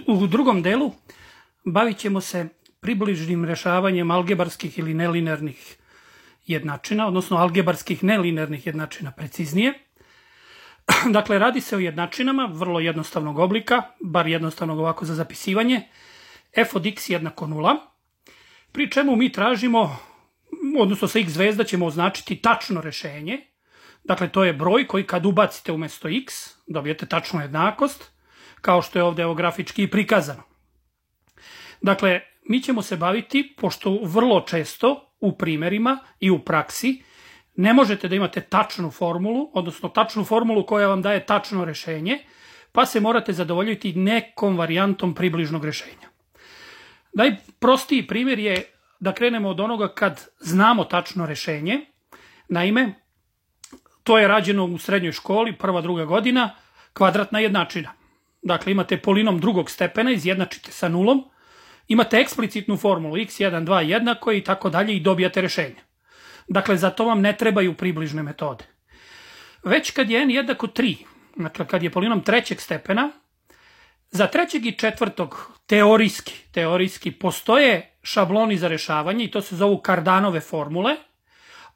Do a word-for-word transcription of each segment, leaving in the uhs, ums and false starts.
U drugom delu bavit ćemo se približnim rešavanjem algebarskih ili nelinearnih jednačina, odnosno algebarskih nelinearnih jednačina preciznije. Dakle, radi se o jednačinama vrlo jednostavnog oblika, bar jednostavnog ovako za zapisivanje, f od x jednako nula, pri čemu mi tražimo, odnosno sa x zvezda ćemo označiti tačno rešenje. Dakle, to je broj koji kad ubacite umesto x, dobijete tačnu jednakost, kao što je ovde evo grafički i prikazano. Dakle, mi ćemo se baviti, pošto vrlo često u primerima i u praksi ne možete da imate tačnu formulu, odnosno tačnu formulu koja vam daje tačno rešenje, pa se morate zadovoljiti nekom varijantom približnog rešenja. Najprostiji primjer je da krenemo od onoga kad znamo tačno rešenje. Naime, to je rađeno u srednjoj školi, prva, druga godina, kvadratna jednačina. Dakle, imate polinom drugog stepena, izjednačite sa nulom, imate eksplicitnu formulu x jedan, dva jednako i tako dalje i dobijate rešenje. Dakle, za to vam ne trebaju približne metode. Već kad je n jednako tri, dakle kad je polinom trećeg stepena, za trećeg i četvrtog teorijski, teorijski postoje šabloni za rešavanje i to se zovu Kardanove formule,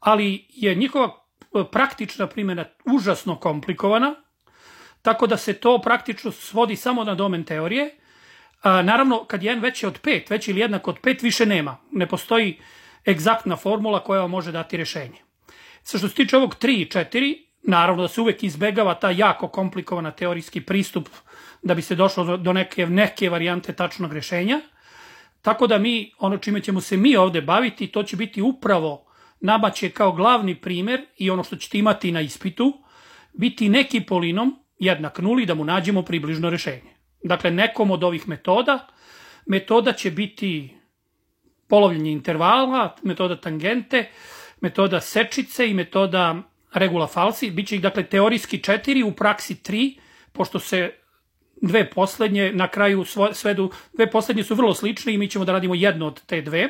ali je njihova praktična primjena užasno komplikovana, tako da se to praktično svodi samo na domen teorije. A, naravno, kad je n veći od pet, veći ili jednak od pet, više nema. Ne postoji egzaktna formula koja vam može dati rešenje. Sa što se tiče ovog tri i četiri, naravno da se uvek izbegava ta jako komplikovana teorijski pristup da bi se došlo do neke, neke varijante tačnog rešenja. Tako da mi, ono čime ćemo se mi ovde baviti, to će biti upravo nama će kao glavni primer i ono što ćete imati na ispitu, biti neki polinom jednak nuli da mu nađemo približno rešenje. Dakle, nekom od ovih metoda, metoda će biti polovljenje intervala, metoda tangente, metoda sečice i metoda regula falsi. Biće ih, dakle, teorijski četiri, u praksi tri, pošto se dve poslednje na kraju svedu, dve poslednje su vrlo slične i mi ćemo da radimo jednu od te dve.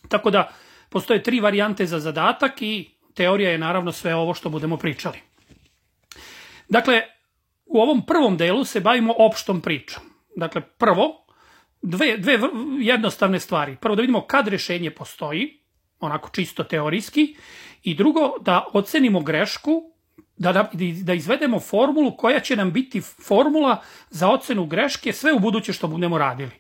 Tako da, postoje tri varijante za zadatak i teorija je naravno sve ovo što budemo pričali. Dakle, u ovom prvom delu se bavimo opštom pričom. Dakle, prvo, dve, dve jednostavne stvari. Prvo da vidimo kad rešenje postoji, onako čisto teorijski, i drugo da ocenimo grešku, da, da, da izvedemo formulu koja će nam biti formula za ocenu greške sve u buduće što budemo radili.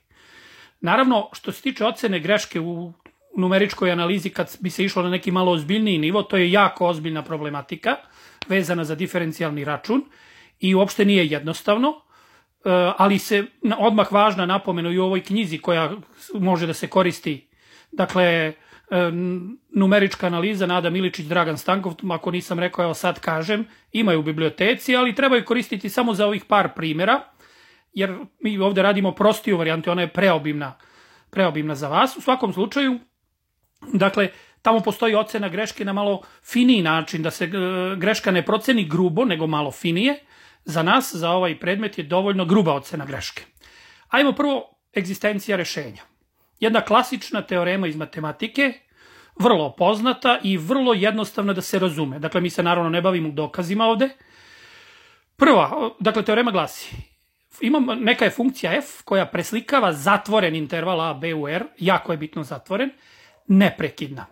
Naravno, što se tiče ocene greške u numeričkoj analizi, kad bi se išlo na neki malo ozbiljniji nivo, to je jako ozbiljna problematika vezana za diferencijalni račun i uopšte nije jednostavno, ali se odmah važna napomena i u ovoj knjizi koja može da se koristi, dakle, numerička analiza Nada Miličić, Dragan Stankov, ako nisam rekao, evo sad kažem, imaju u biblioteci, ali trebaju koristiti samo za ovih par primjera, jer mi ovde radimo prostiju varijantu, ona je preobimna, preobimna za vas. U svakom slučaju, dakle, tamo postoji ocena greške na malo finiji način, da se greška ne proceni grubo, nego malo finije. Za nas, za ovaj predmet je dovoljno gruba ocena greške. Ajmo prvo egzistencija rešenja. Jedna klasična teorema iz matematike, vrlo poznata i vrlo jednostavna da se razume. Dakle, mi se naravno ne bavimo dokazima ovde. Prva, dakle, teorema glasi, imam, neka je funkcija f koja preslikava zatvoren interval a, b u r, jako je bitno zatvoren, neprekidna.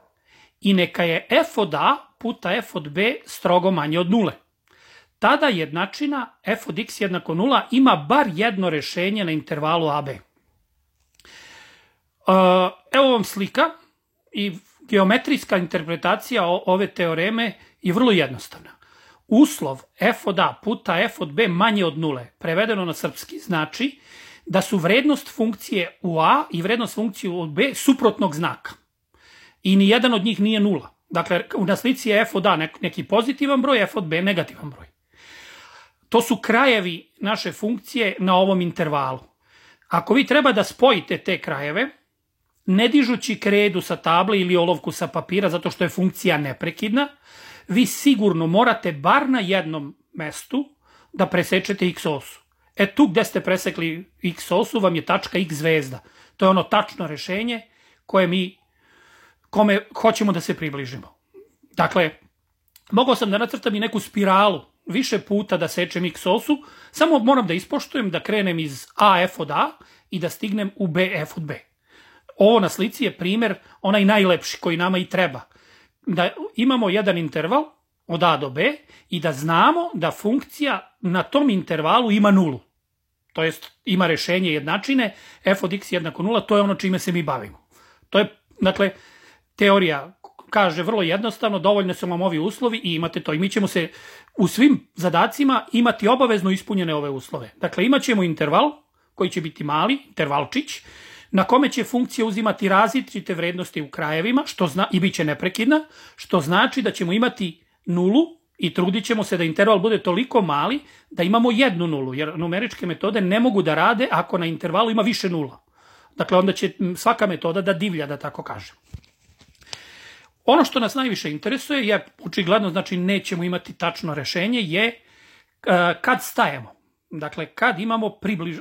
I neka je f od a puta f od b strogo manje od nule. Tada jednačina f od x jednako nula ima bar jedno rešenje na intervalu a b. Evo vam slika i geometrijska interpretacija ove teoreme je vrlo jednostavna. Uslov f od a puta f od b manje od nule, prevedeno na srpski, znači da su vrednost funkcije u a i vrednost funkcije u b suprotnog znaka. I ni jedan od njih nije nula. Dakle, na slici je f od a neki pozitivan broj, f od b negativan broj. To su krajevi naše funkcije na ovom intervalu. Ako vi treba da spojite te krajeve, ne dižući kredu sa table ili olovku sa papira zato što je funkcija neprekidna, vi sigurno morate bar na jednom mestu da presečete x osu. E tu gde ste presekli x osu vam je tačka x zvezda. To je ono tačno rešenje koje mi, kome hoćemo da se približimo. Dakle, mogao sam da nacrtam i neku spiralu više puta da sečem x osu, samo moram da ispoštujem da krenem iz A f od A i da stignem u B f od B. Ovo na slici je primer, onaj najlepši koji nama i treba. Da imamo jedan interval od A do B i da znamo da funkcija na tom intervalu ima nulu. To jest ima rešenje jednačine, f od x jednako nula, to je ono čime se mi bavimo. To je, dakle, teorija kaže vrlo jednostavno, dovoljno su vam ovi uslovi i imate to. I mi ćemo se u svim zadacima imati obavezno ispunjene ove uslove. Dakle, imat ćemo interval koji će biti mali, intervalčić, na kome će funkcija uzimati različite vrednosti u krajevima što zna, i bit će neprekidna, što znači da ćemo imati nulu i trudit ćemo se da interval bude toliko mali da imamo jednu nulu, jer numeričke metode ne mogu da rade ako na intervalu ima više nula. Dakle, onda će svaka metoda da divlja, da tako kažem. Ono što nas najviše interesuje je, očigledno znači nećemo imati tačno rešenje, je kad stajemo. Dakle, kad imamo približ,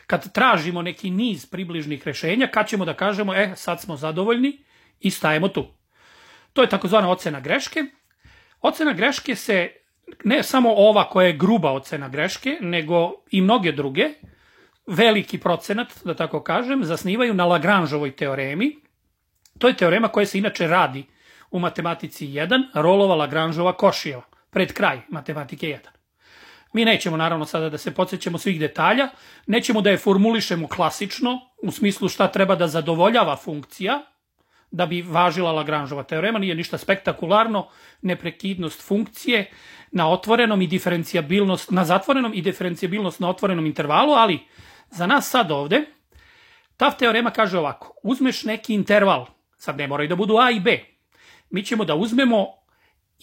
kad tražimo neki niz približnih rešenja, kad ćemo da kažemo, e, sad smo zadovoljni i stajemo tu. To je takozvana ocena greške. Ocena greške se, ne samo ova koja je gruba ocena greške, nego i mnoge druge, veliki procenat, da tako kažem, zasnivaju na Lagrangeovoj teoremi. To je teorema koja se inače radi u matematici jedan, Rollova, Lagrangeova, Košijeva, pred kraj matematike jedan. Mi nećemo naravno sada da se podsjećamo svih detalja, nećemo da je formulišemo klasično, u smislu šta treba da zadovoljava funkcija, da bi važila Lagrangeova teorema, nije ništa spektakularno, neprekidnost funkcije na otvorenom i diferencijabilnost, na zatvorenom i diferencijabilnost na otvorenom intervalu, ali za nas sad ovde, ta teorema kaže ovako, uzmeš neki interval, sad ne moraju da budu A i B, mi ćemo da uzmemo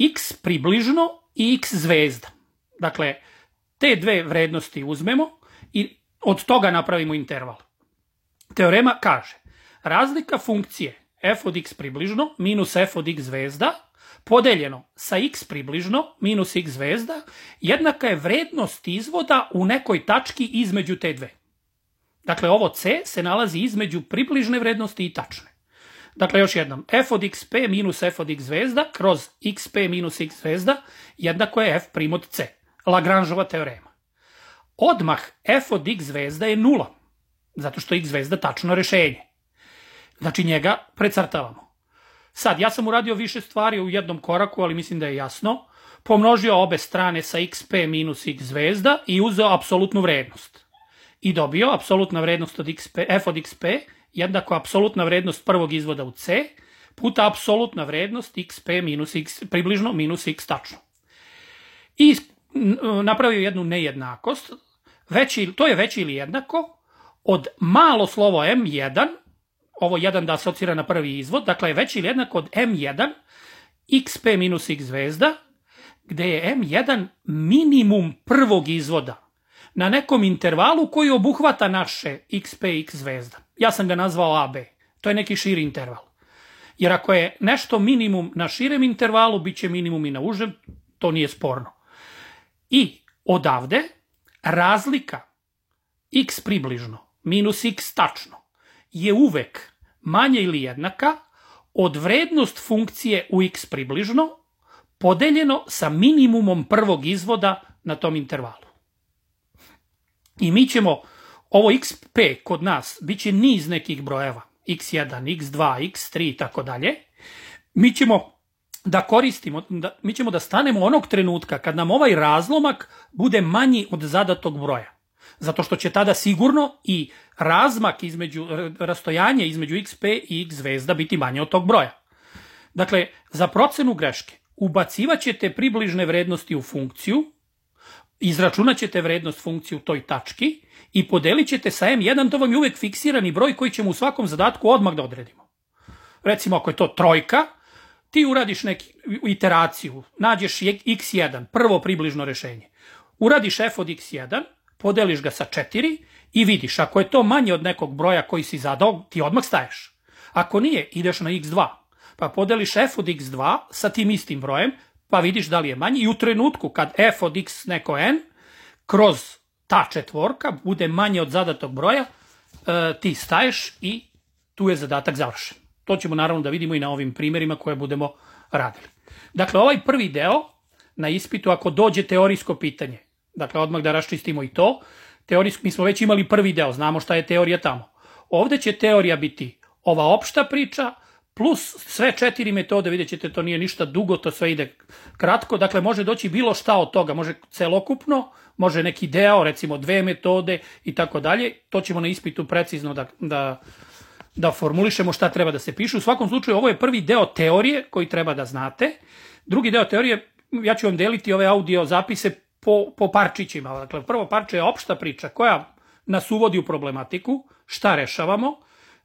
x približno i x zvezda. Dakle, te dve vrednosti uzmemo i od toga napravimo interval. Teorema kaže, razlika funkcije f od x približno minus f od x zvezda podeljeno sa x približno minus x zvezda jednaka je vrednost izvoda u nekoj tački između te dve. Dakle, ovo c se nalazi između približne vrednosti i tačne. Dakle, još jednom, f od xp minus f od x zvezda kroz xp minus x zvezda jednako je f prim od c. Lagrangeova teorema. Odmah f od x zvezda je nula, zato što x zvezda tačno rešenje. Znači, njega precrtavamo. Sad, ja sam uradio više stvari u jednom koraku, ali mislim da je jasno. Pomnožio obe strane sa xp minus x zvezda i uzeo apsolutnu vrednost. I dobio apsolutna vrednost od xp, f od xp jednako apsolutna vrednost prvog izvoda u c puta apsolutna vrednost xp minus x približno minus x tačno. I napravio jednu nejednakost, veći, to je veće ili jednako od malo slovo em jedan, ovo jedan da asocira na prvi izvod, dakle je veće ili jednako od em jedan xp minus x zvezda, gde je em jedan minimum prvog izvoda na nekom intervalu koji obuhvata naše xp i x zvezda. Ja sam ga nazvao a be. To je neki širi interval. Jer ako je nešto minimum na širem intervalu, bit će minimum i na užem, to nije sporno. I odavde razlika x približno minus x tačno je uvek manja ili jednaka od vrednost funkcije u x približno podeljeno sa minimumom prvog izvoda na tom intervalu. I mi ćemo, ovo xp kod nas, bit će niz nekih brojeva, iks jedan, iks dva, iks tri i tako dalje. Mi ćemo da koristimo, da, mi ćemo da stanemo onog trenutka kad nam ovaj razlomak bude manji od zadatog broja. Zato što će tada sigurno i razmak između, rastojanje između xp i x zvezda biti manje od tog broja. Dakle, za procenu greške ubacivat ćete približne vrednosti u funkciju, izračunat ćete vrednost funkcije u toj tački i podelit ćete sa em jedan, to vam je uvek fiksirani broj koji ćemo u svakom zadatku odmah da odredimo. Recimo, ako je to trojka, ti uradiš neku iteraciju, nađeš iks jedan, prvo približno rešenje. Uradiš f od iks jedan, podeliš ga sa četiri i vidiš, ako je to manje od nekog broja koji si zadao, ti odmah staješ. Ako nije, ideš na iks dva, pa podeliš f od iks dva sa tim istim brojem, pa vidiš da li je manji i u trenutku kad f od x neko n kroz ta četvorka bude manje od zadatog broja, ti staješ i tu je zadatak završen. To ćemo naravno da vidimo i na ovim primjerima koje budemo radili. Dakle, ovaj prvi deo na ispitu ako dođe teorijsko pitanje. Dakle, odmah da raščistimo i to. Teorijsko, mi smo već imali prvi deo, znamo šta je teorija tamo. Ovde će teorija biti ova opšta priča, plus sve četiri metode, vidjet ćete, to nije ništa dugo, to sve ide kratko, dakle može doći bilo šta od toga, može celokupno, može neki deo, recimo dve metode i tako dalje, to ćemo na ispitu precizno da, da, da formulišemo šta treba da se piše. U svakom slučaju ovo je prvi deo teorije koji treba da znate. Drugi deo teorije, ja ću vam deliti ove audio zapise po, po parčićima. Dakle, prvo parče je opšta priča koja nas uvodi u problematiku, šta rešavamo,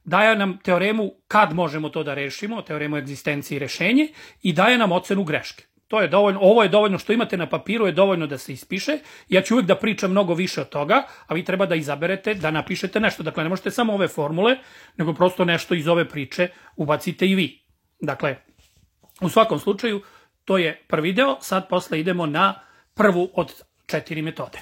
daje nam teoremu kad možemo to da rešimo, teoremu egzistencije i rešenje, i daje nam ocenu greške. To je dovoljno, ovo je dovoljno što imate na papiru, je dovoljno da se ispiše. Ja ću uvijek da pričam mnogo više od toga, a vi treba da izaberete da napišete nešto. Dakle, ne možete samo ove formule, nego prosto nešto iz ove priče ubacite i vi. Dakle, u svakom slučaju, to je prvi deo, sad posle idemo na prvu od četiri metode.